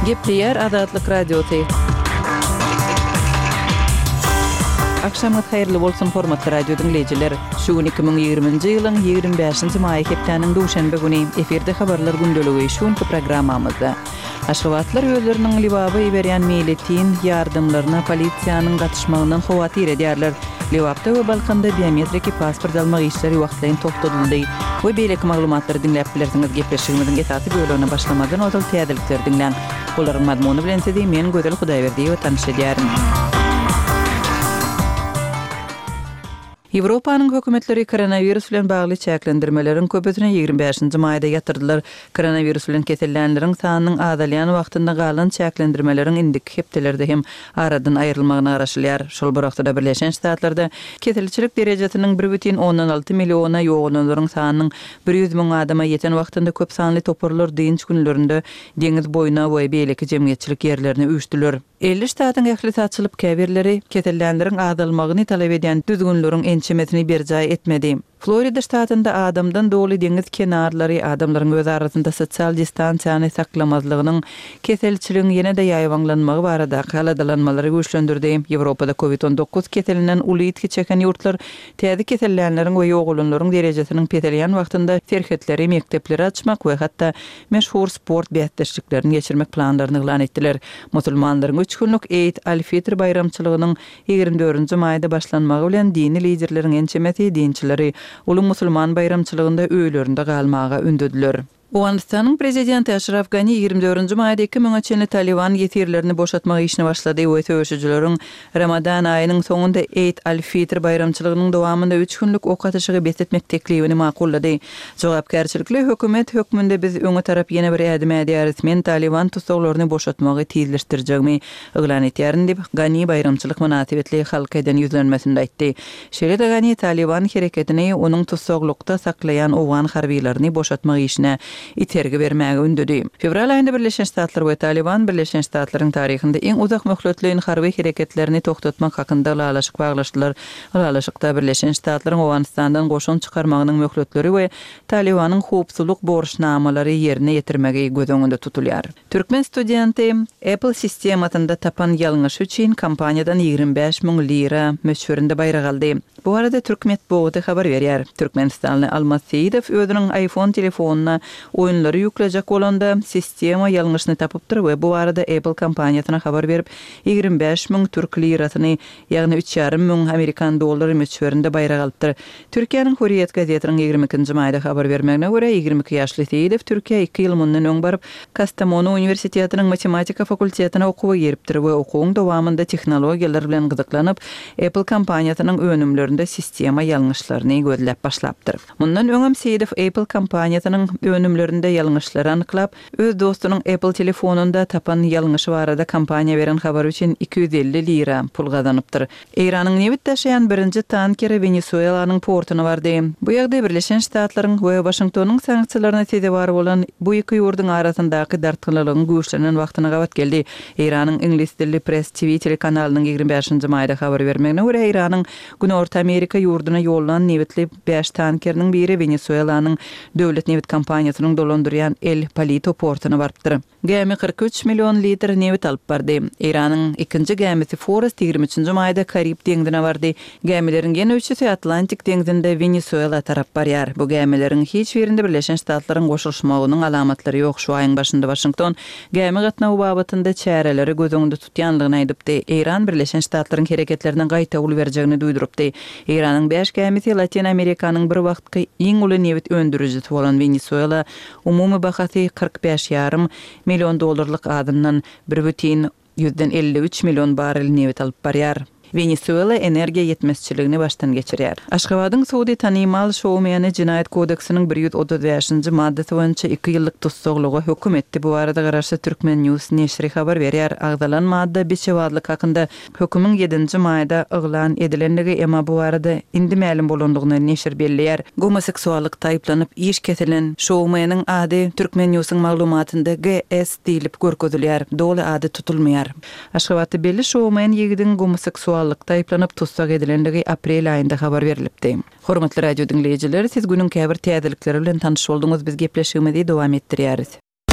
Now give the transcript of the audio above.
Gepleyer Azatlyk Radiosu. Akşamyz hayrly bolsun hormatly radio dinleyijiler. Şu 2020-nji ýylyň 25-nji maý hepdeniň duşanbe güni eferde habarlar gündöligi şuňky programmamyzda. Aşgabatlar özleriniň libaby berýän milletin ýardymlaryna polisiýanyň gatnaşmagyndan hawatyr edýärler. Liwapda we Balkanda biometrik pasport almak işleri wagtlaryň topduruldy. Bu beýleki maglumatlary dinläp bilersiňiz. Gepleşigimiziň esasy bölümine başlamadan otal täzelikler dinleň. Olaryň mazmuny bilen sizi men Gödel Hudaýberdi we tanışdyrýaryn. Ýewropanyň hökümetleri koronavirus bilen bagly çäklendirmeleriň köpüsini 25-nji maýda ýatyrdylar. Koronavirus bilen kesellenleriň sanynyň azalýan wagtynda galan çäklendirmeleriň indik hepdelerde hem aradan aýrylmagyna garaşylýar. Şol bir wagtda Birleşen Ştatlarda keselçilik derejesiniň 1,16 milliona ýoğunlaryň sanynyň 100 000 adama ýeten wagtynda köp sanly toparlar diňç günlerinde deňiz boýuna we beýleki jemgyýetçilik ýerlerine üýtdiler. 50 ştatın ählisatçylyk käbirleri kesellenleriň azalmagyny talap edýän düzgünleriň ençemesini berjaý etmedi. Florida ştatynda adamdan doly deňiz kenarlary adamlaryň öz arasynda sosial distansiýany saklamazlygynyň keselçiligiň ýene-de ýaýwanlanmagy barada galadalanmalary güýçlendirdi. Ýewropada COVID-19 keselinden uly itki çeken ýurtlar täze kesellenleriň we ýoğulanlaryň derejesiniň petelýän wagtynda serhetleri, mektepleri açmak we hatda meşhur sport beýatdeşliklerini geçirmek planlaryny elan etdiler. Musulmanlaryň 3 günlük Eid al-Fitr bayramçylygynyň 24-nji maýda başlanmagy bilen dini liderleriň ençemesi dinçileri ulu musulman bayramçylygynda öýlerinde galmaga ündediler. Awganistanyň prezidenti Ashraf Ghani 24-nji maýda 2000 Taliban ýetirlerini boşatmak işini başlady. Bu öýüşçüleriň Ramadan aýynyň soňunda Eid al-Fitr bayramçylygynyň dowamında 3 günlük ok atyşygy besletmek teklibini makullady. Jogapkärçilikli hökümet hökmünde biz öňe tarap ýene bir ädim edýäris. Men Taliban tutuklaryny boşatmagy tezleşdirjekmi elan etýärin diýip Ghani bayramçylyk münasibetli halka eden ýüzlenmesinde aýtdy. Şeýle Ghani Taliban hereketini onuň tutuklukda saklaýan owgan harbiýlaryny boşatmak işine itergi bermäge ündedi. Fevral aýynda Birleşen Ştatlar we Taliban Birleşen Ştatlaryň taryhynda eng uzak möhletliň harby hereketlerini toktatmak hakynda laşyk baglaşdylar. Laşykda Birleşen Ştatlaryň Awganistandan goşun çykarmagynyň möhletleri we Talibanyň howpsuzlyk borçnamalary ýerine ýetirmegi göz öňünde tutulýar. Türkmen studenti Apple sistemasynda tapan ýalňyş üçin kampaniýadan 25 000 lira möçberinde bayrag aldy. Bu arada Türkmet boğutu haber berýär. Türkmenistanly Almas Seýidow özüniň iPhone telefonuna oýunlary ýüklejek bolanda sistema ýalňyşyny tapypdyr we bu arada Apple kampaniýasyna habar berip 25 000 türk lirasyny, ýagny 3,5 000 Amerikan dollary möçberinde bayrag alypdyr. Türkiýanyň Hurriyet gazetiniň 22-nji maýda habar bermegine görä 22 ýaşly Seýidow Türkiýe 2 ýyl mundan öň baryp Kastamonu Universitetining matematika fakultetine okuwy geripdir we okuwyň dowamında tehnologiýalar bilen gyzyklanyp Apple kampaniýasynyň önümlerinde sistema ýalňyşlaryny gözläp başlapdyr. Mundan öňem Seýidow Apple kampaniýasynyň önümlerinde ýalňyşlary anyklap, öz dostunyň Apple telefonunda tapan ýalňyşy barada kampaniýa beren habar üçin 250 lira pul gazanypdyr. Iranyň Nevit daşayan birinji tankeri Venezuelanyň portuna bardy. Bu ýagdaý Birleşen Ştatlaryň we Washingtonyň sanksiýalaryna sebäp bar bolan bu iki ýurdun arasyndaky dartgylygyň güýçlenen wagtyna gabat geldi. Iranyň Ingliz dilli Press TV telekanalynyň 25-nji maýda habar bermegine görä Iranyň Günorta Amerika ýurduna ýollanan Nevitli 5 tankeriniň biri Venezuelanyň döwlet Nevit kampaniýasynyň dolandyrýan El Palito portuna barpdyr. Gämi 43 million litr nevit alyp bardy. Iranyň ikinji gämisi Forest 23-nji maýda Karib deňdine bardy. Gämileriň ýene üçüsi Atlantik deňzinde Venezuela tarap barýar. Bu gämileriň hiç birinde Birleşen Ştatlaryň goşulmagynyň alamatlary ýok. Şu aýyň başynda Washington gämi gatnawy babatynda çäreleri göz öňünde tutýanlygyny aýdypdy. Iran Birleşen Ştatlaryň hereketlerine gaýta uly berjegini duýdurupdy. Iranyň 5 gämisi Latin Amerikanyň bir wagtky iň uly nevit öndürüjisi bolan Venezuela umumy bahasy 45,5 million dollarlyk adymdan 1,53 million barrel nevit alyp barýar. Venezuela energiýa ýetmezçiligini başdan geçirýär. Aşgabatyň Suudi tanymal şowmeni Jinayet kodeksiniň 135-nji maddesi boýunça 2 ýyllyk tutsaklygy hökm etdi. Bu arada garaşy Türkmen News neşri habar berýär. Agdalan madda beçewadlyk hakynda hökümüň 7-nji maýda elan edilenligi emma bu arada indi ma'lum bolandygyny neşir belliýär. Homoseksuallyk taýplanyp iş kesilen şowmeniň ady Türkmen Newsyň maglumatynda GS diýilip görkezilýär. Doly ady tutulmaýar. Aşgabaty belli şowmen ýigidin homoseksual taýplanyp tutsak edilenligi aprel aýynda habar berilipdi. Hormatly radio dinleyijiler, siz günüň käbir täzelikleri bilen tanyş bolduňyz. Biz gepleşigimizi dowam etdirýäris.